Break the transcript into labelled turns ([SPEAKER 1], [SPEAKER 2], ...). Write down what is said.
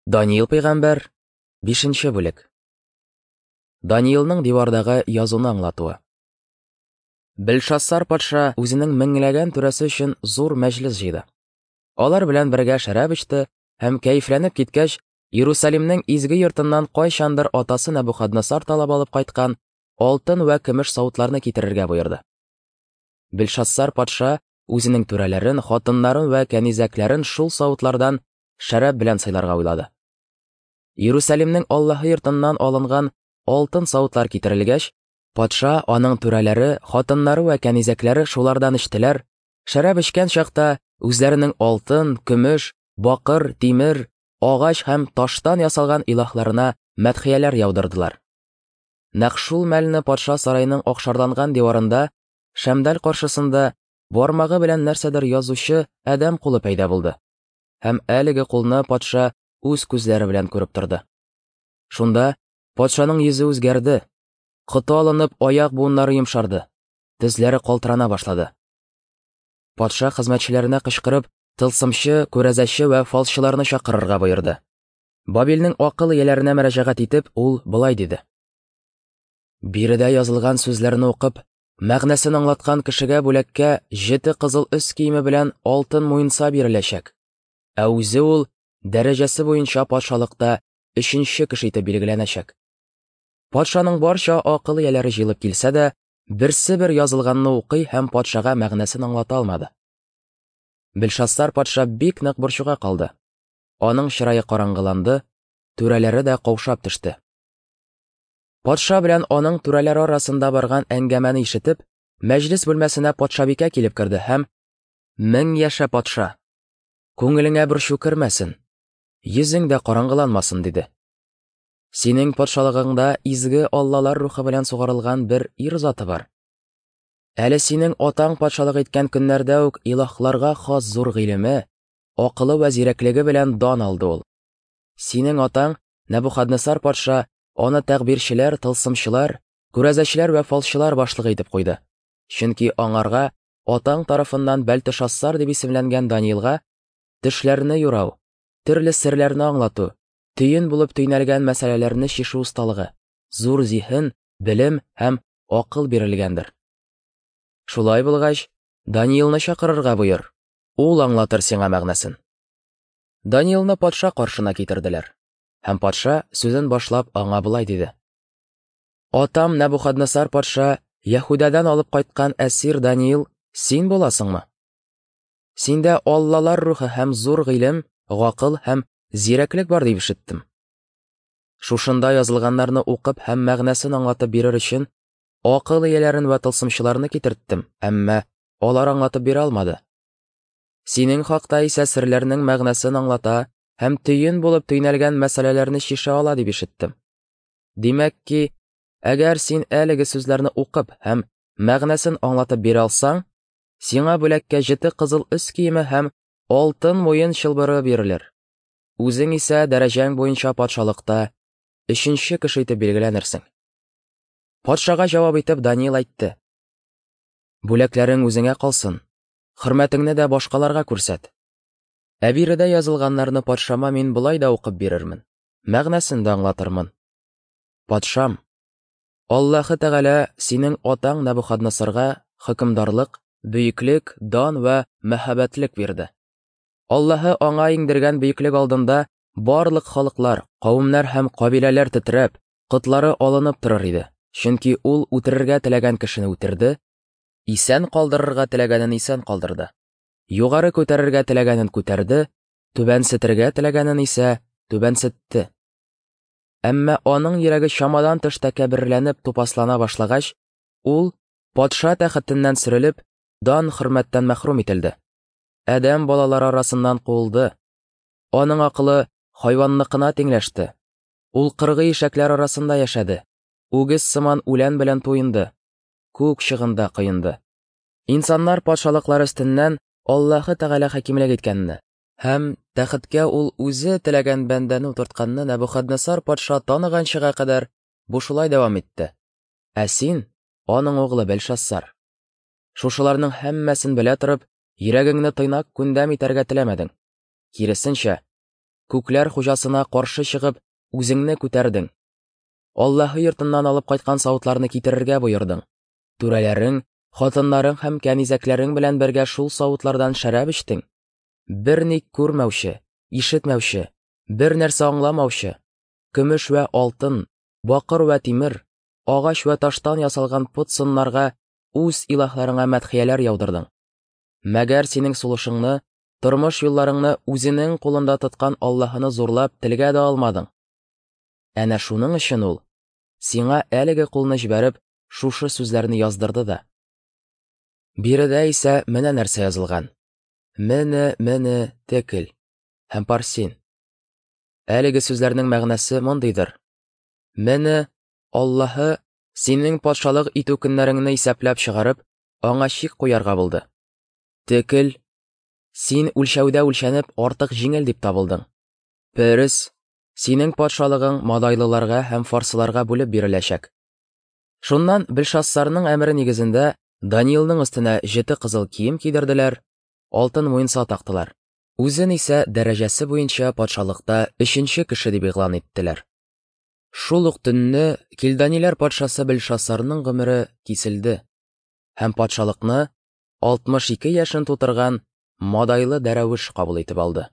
[SPEAKER 1] Даниил пәйгамбәр, 5 бүлек. Даниилның дивардагы язуны аңлатуы. Белшассар патша үзенең меңләгән түрәсе өчен зур мәҗлес җыйды. Алар белән бергә шәраб эчте һәм кәефләнеп киткәч, Иерусалимнең изге йортыннан кайчандыр атасы Нәбухаднасар талап алып кайткан алтын вә көмеш савытларны китерергә боерды. Белшассар патша үзенең түрәләрен, хатыннарын вә кәнизәкләрен шул савытлардан шәраб белән сыйларга уйлады. Иерусалимнең Аллаһы йортыннан алынган алтын савытлар китерелгәч, патша, аның түрәләре, хатыннары вә кәнизәкләре шулардан эчтеләр, шәраб эчкән чакта үзләренең алтын, көмеш, бакыр, тимер, агач һәм таштан ясалган илаһларына мәдхияләр яудырдылар. Нәкъ шул мәлне патша сараеның акшарланган диварында, шәмдәл каршысында бармагы белән нәрсәдер язучы адәм кулы пәйда булды. Һәм әлеге кулны патша үз күзләре белән күреп торды. Шунда патшаның йөзе үзгәрде, коты алынып аяк буыннары йомшарды, тезләре калтырана башлады. Патша хезмәтчеләренә кычкырып, тылсымчы, күрәзәче вә фалчыларны чакырырга боерды. Бабилнең акыл ияләренә мөрәҗәгать итеп, ул болай диде: Биредә язылган сүзләрне укып, мәгънәсен аңлаткан кешегә бүләккә җете кызыл өс киеме белән алтын муенса биреләчәк. Ә үзе ул дәрәҗәсе буенча патшалыкта өченче кеше итеп билгеләнәчәк. Патшаның барча акыл ияләре җыелып килсә дә, берсе бер язылганны укый һәм патшага мәгънәсен аңлата алмады. Белшассар патша бик нык борчуга калды. Аның чырае караңгыланды, түрәләре дә каушап төште. Патша белән аның түрәләре арасында барган әңгәмәне ишетеп, мәҗлес бүлмәсенә патшабикә килеп керде һәм: "Мең яшә, патша! Күңелеңә борчу кермәсен, йөзең дә караңгыланмасын", диде. Синең патшалыгыңда изге аллалар рухы белән сугарылган бер ир заты бар. Әле синең атаң патшалык иткән көннәрдә үк илаһларга хас зур гыйлеме, акылы вә зирәклеге белән дан алды ул. Синең атаң Нәбухаднесар патша аны тәгъбирчеләр, тылсымчылар, күрәзәчеләр вә фалчылар башлыгы итеп куйды. Чөнки аңарга атаң тарафыннан Бәлтешассар дип исемләнгән Даниилга төшләрне юрау, төрле серләрне аңлату, төен булып төйнәлгән мәсьәләләрне чишү осталыгы, зур зиһен, белем һәм акыл бирелгәндер. Шулай булгач, Даниилны чакырырга боер. Ул аңлатыр сиңа мәгънәсен. Даниилны патша каршына китерделәр. Һәм патша сүзен башлап аңа болай диде: Атам Нәбухаднесар патша Яһүдәдән алып кайткан әсир Даниил син буласыңмы? Синдә аллалар рухы һәм зур гыйлем, гакыл һәм зирәклек бар дип ишеттем. Шушында язылганнарны укып һәм мәгънәсен аңлатып бирер өчен акыл ияләрен вә тылсымчыларны китерттем, әмма алар аңлатып бирә алмады. Синең хакта исә серләрнең мәгънәсен аңлата һәм төен булып төйнәлгән мәсьәләләрне чишә ала дип ишеттем. Димәк ки, әгәр син әлеге сүзләрне укып һәм мәгънәсен аңлатып бирә алсаң, сиңа бүләккә җете кызыл өс киеме һәм алтын муен чылбыры бирелер. Үзең исә дәрәҗәң буенча патшалыкта өченче кеше итеп билгеләнерсең. Патшага җавап итеп Даниил әйтте: Бүләкләрең үзеңә калсын, хөрмәтеңне дә башкаларга күрсәт. Ә биредә язылганнарны патшама мин болай да укып бирермен, мәгънәсен дә аңлатырмын. Патшам, Аллаһы Тәгалә синең атаң Нәбухаднасарга хөкемдарлык, бөеклек, дан вә мәһабәтлек бирде. Аллаһы аңа иңдергән бөеклек алдында барлык халыклар, кавемнәр һәм кабиләләр тетрәп, котлары алынып торыр иде. Чөнки ул үтерергә теләгән кешене үтерде, исән калдырырга теләгәнен исән калдырды. Югары күтәрергә теләгәнен күтәрде, түбәнсетергә теләгәнен исә түбәнсетте. Әмма аның йөрәге чамадан тыш тәкәбберләнеп тупаслана башлагач, ул патша тәхетеннән сөрелеп, дан хөрмәттән мәхрүм ителде. Адәм балалары арасыннан куылды. Аның акылы хайванныкына тиңләште. Ул кыргый ишәкләр арасында яшәде. Үгез сыман үлән белән туенды. Күк чыгында коенды. Инсаннар патшалыклары өстеннән Аллаһы Тәгалә хакимлек иткәнне һәм тәхеткә ул үзе теләгән бәндәне утыртканны Нәбухаднесар патша таныганчыга кадәр бу шулай дәвам итте. Ә син, аның углы Бәлшассар, шушыларның һәммәсен белә торып, йөрәгеңне тыйнак күндәм итәргә теләмәдең. Киресенчә, Күкләр хуҗасына каршы чыгып, үзеңне күтәрдең. Аллаһы йортыннан алып кайткан савытларны китерергә боердың. Түрәләрең, хатыннарың һәм кәнизәкләрең белән бергә шул савытлардан шәраб эчтең. Берни күрмәүче, ишетмәүче, бер нәрсә аңламаучы, көмеш вә алтын, бакыр вә тимер, агач вә таштан ясалган пот сыннарга үз илаһларыңа мәдхияләр яудырдың. Мәгәр синең сулышыңны, тормыш юлларыңны үзенең кулында тоткан Аллаһыны зурлап телгә дә алмадың. Әнә шуның өчен ул сиңа әлеге кулны җибәреп, шушы сүзләрне яздырды да. Биредә исә менә нәрсә язылган. Мене, мене, текел һәм парсин. Әлеге сүзләрнең мәгънәсе мондыйдыр. Мене Аллаһы синең патшалык итү көннәреңне исәпләп чыгарып, аңа чик куярга булды. Текел, син үлчәүдә үлчәнеп артык җиңел дип табылдың. Перес, синең патшалыгың мадайлыларга һәм фарсыларга бүлеп биреләчәк. Шуннан Белшассарның әмере нигезендә Даниилның өстенә җете кызыл кием кидерделәр, алтын муенса тактылар. Үзен исә дәрәҗәсе буенча патшалыкта өченче кеше дип игълан иттеләр. Шул ук төнне Килданиләр патшасы Белшассарның гомере киселде һәм патшалыкны 62 яшен тутырган Мадайлы Дәрәвеш кабул итеп алды.